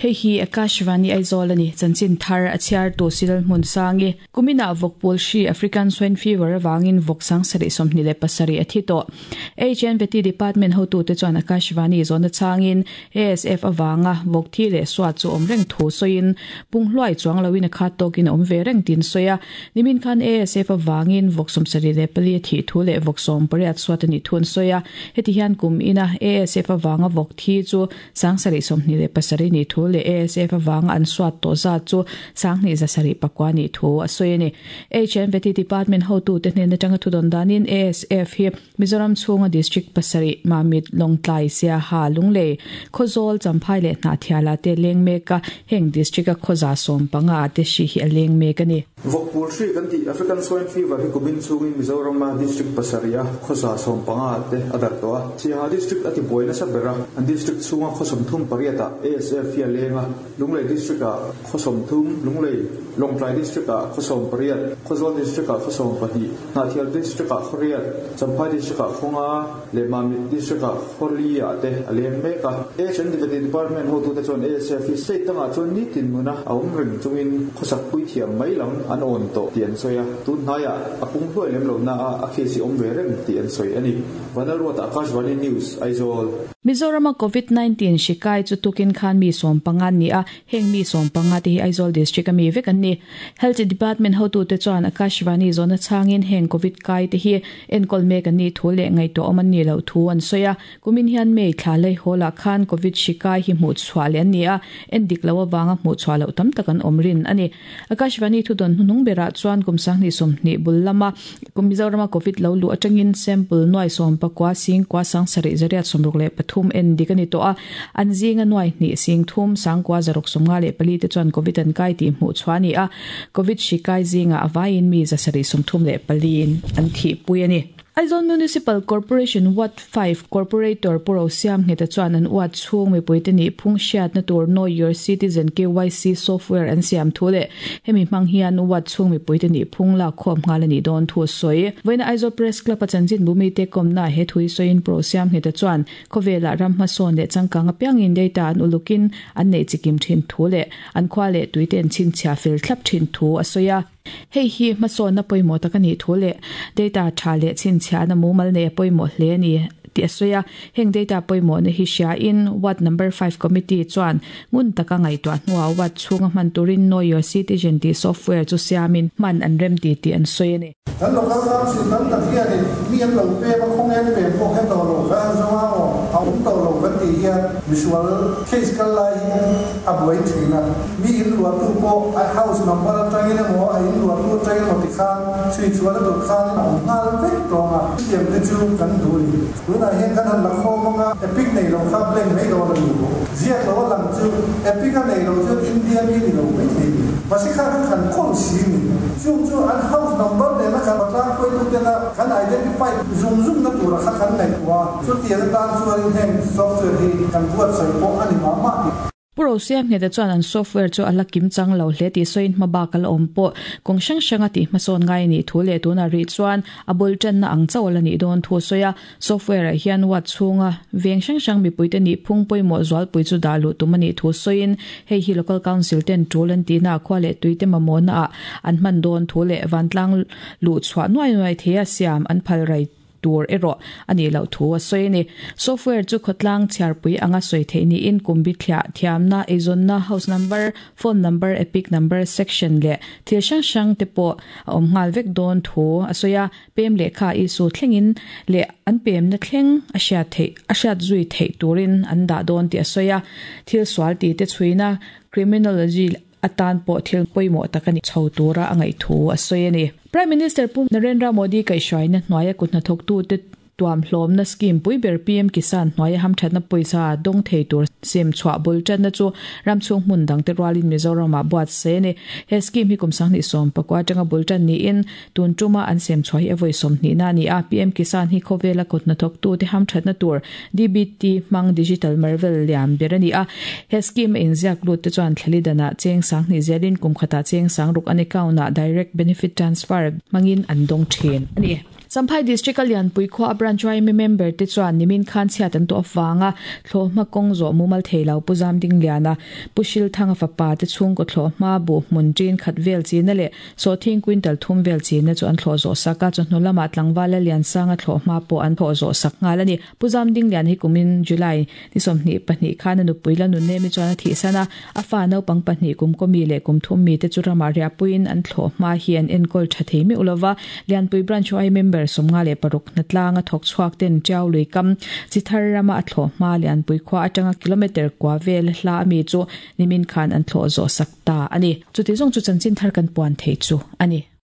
Hei hi Akashvani Aizawl a ni. Chanchin thar a chhiartu Silal Hmunsangi. Kuminah vawk pawl hri African Swine Fever avangin vawk sangsarih 27 a thi tawh. HNVT Department hotute chuan Akashvani zawhna changin ASF avanga vawk thi leh suat chu awm reng thu sawiin pung hluai chuang loin a khat tawkin a awm ve reng tiin sawi a. Nimin khan ASF avangin vawk 74 a thih thu leh vawk 18 suat a nih thu an sawi a. Heti hian kum ina ASF avanga vawk thi chu 727 nih thu leh ASF avanga an suat tawh zat chu 2709 nih thu a sawi a ni. HNVT Department hotute hnen atanga thudawn danin ASF hi Mizoram chhunga District pasarih, Mamit, Lawngtlai, Siaha, Lunglei, Khawzawl, Champhai leh Hnahthiala te leng mek a, heng District-a khawza 15 ah te hri hi a leng mek a ni. Vawkpul hri kan tih African Swine Fever hi kumin chhungin Mizorama District pasarih a khawza 15 ah te a darh tawh a. Siaha District a tibuai nasa ber a, an District chhunga khaw 38 ah ASF hi a leng a, Lunglei District ah khaw 30, Lunglei, Lawngtlai District ah khaw 18, Khawzawl District ah khaw 12, Hnahthial District ah khaw riat, Champhai District ah khaw nga leh Mamit District ah khaw li ah te a leng mek a. HNDVT Department hotute chuan ASF hi state dangah chuan nitin nuna a awm reng chungin khawsak pui thiam mai lam an awn tawh tih an sawi a, tun hnaiah a pung hluai lem lo na a a case hi awm ve reng tih an sawi a ni. Vanlalruata Akashvani News, Aizawl. Mizorama Covid 19 hri kai chu tukin khan mi 15 an ni a, heng mi 15 te hi Aizawl District a mi vek an ni. Health Department hotute chuan Akashvani zawhna chhangin heng Covid kai te hi enkawl mek an nih thu leh ngaihtuah awm an nih loh thu an sawi a. Kumin hian May thla lei hawl ah khan Covid hri kai hi hmuh chhuah leh an ni a, en dik loh avanga hmuh chhuah loh tam tak an awm rin a ni. Akashvani thudawn hnuhnung berah chuan kum 2020 bul lama Mizorama Covid lo luh atangin sample nuai 19 sing kua 7 863 en dik a ni tawh a, an zinga nuai hnih sing thum sangkua zaruk 54 te chuan Covid an kai tih hmuh chhuah a ni a, Covid hri kai zingah a vaiin mi 734 in an thihpui a ni. Aizawl Municipal Corporation Ward 5 Corporator Pu Rosiam Ngheta chuan an uat chhung mipuite nih phung hriatna tur Know Your Citizen, KYC, software an siam thu leh hemi hmang hian uat chhung mipuite nih phung lak khawm nghal a nih dawn thu a sawi. Vawiina Aizawl Press Club a chanchinbu mite kawmna he thu hi sawiin Pu Rosiam Ngheta chuan khawvelah ram hmasawn leh changkang apiangin data an ulukin an neih chikim thin thu leh an khua leh tuite an chhinchhiah fel thlap thin thu a sawi a. Hei hi hmasawnna pawimawh tak a nih thu leh data tha leh chhinchhiahna mumal nei a pawimawh hle a ni tih a sawi a. Heng data pawimawhna hi hriain Ward Number 5 Committee chuan ngun taka ngaihtuah hnuah ward chhunga hman turin Know Your Citizen tih software chu siamin hman an rem ti tih an sawi a ni. Kan local council tam tak hianin mi an lo pem a, khawnge an pem pawh kha tawh lo, kan han zawng a aw, a awm tawh lo kan tih hian misual case kal lai hi a buai thin a. Mi in luahtu pawh a house number atangin emaw a in luahtu atangin emaw tikhan chhui chhuah na tur khan a awm nghal vek tawng a. Chutiang te chu kan duh a ni. Tunah hian kan han la khawm ang a, epic nei lo kha blank mai dawn a ni. Ziak lo a lang chu epic a nei lo chuan India mi ni lo mai thei ni. Mahse kha kan han kawl si ni. Chung chu an house number nena kan patlang hruaitu tena kan identify zung zung na tura kha kan ngaihtuah a, chutiang atan chuanin heng software hi kan buatsaih pawh a ni mah mah tih. Pu Rosiam Ngheta chuan an software chu a la kim chang lo hle tih sawiin hmabak a la awm pawh kawng hrang hranga tih hmasawn ngai a nih thu leh tunah rih chuan a bul tanna ang chauh a la nih dawn thu a sawi a. Software ah hian ward chhunga veng hrang hrang mipuite nih phung pawimawh zualpui chu dah luh tum a nih thu sawiin hei hi local council ten tul an tihna ah khua leh tuite mamawhna ah an hman dawn thu leh vantlang luh chhuah nuai nuai theia siam an phal rai tur erawh a nih loh thu a sawi a ni. Software chu khawtlang chhiarpui anga sawi theih niin kum bithliah thiamna, eizawnna, house number, phone number, epic number, section leh thil hrang hrang te pawh a awm nghal vek dawn thu a sawi a. Pem lehkha Isu thlengin leh an pemna thleng a hriat theih a hriat zui theih turin an dah dawn tih a sawi a. Thil sual ti te chhuina criminology atan pawh thil pawimawh tak a ni chho tura a ngaih thu a sawi a ni. Prime Minister Pu Narendra Modi kaihhruaina hnuaia kut hnathawktute tuam hlawmna scheme pui ber PM Kisan hnuaia hamthatna pawisa dawng thei tur sem chhuah bul tanna chu ram chhung hmun dangte rualin Mizoramah buatsaih a ni. He scheme hi kum 2019 atanga bul tan niin Tun tuma an sem chhuah hi a vawi 20 na a ni a, PM Kisan hi khawvela kut hnathawktute hamthatna tur DBT hmang Digital Marvel lian ber a ni a. He scheme a inziak lut te chuan thlali danah cheng 2000 zelin kum khatah cheng 6000 an account ah Direct Benefit Transfer hmangin an dawng thin a ni. Champhai District a Lianpui khua a Branch yma member te chuan nimin khan chhiat an tuah avanga thlawhhma kawng zawh mumal thei lo Pu Zamdingliana, Pu Hrilthanga fapa te chhungkaw thlawhhma buh hmun ṭin khat vel china leh sawhthing quintal thum vel china chu an thlawh zawh sak a, chawhnu lamah tlangval Lalliansanga thlawhhma pawh an thlawh zawh sak nghal a ni. Pu Zamdingliana hi kumin July ni 22 khan a nupui la Nunnemi chuan a thihsan a, a fa naupang pahnih kum kawmi leh kum thum mite chu ramah riahpuiin an thlawh hma hi an enkawl tha thei meuh lova. Lianpui Branch YMA member 56 hnatlanga thawk chhuak ten Tiau lui kam chi thar rama a thlawh hma Lianpui khua atanga kilometre kua vel hla ami chu nimin khan an thlawh zawh sak ta a ni. Chuti zawng chu chanchin thar kan puan thei chu a ni.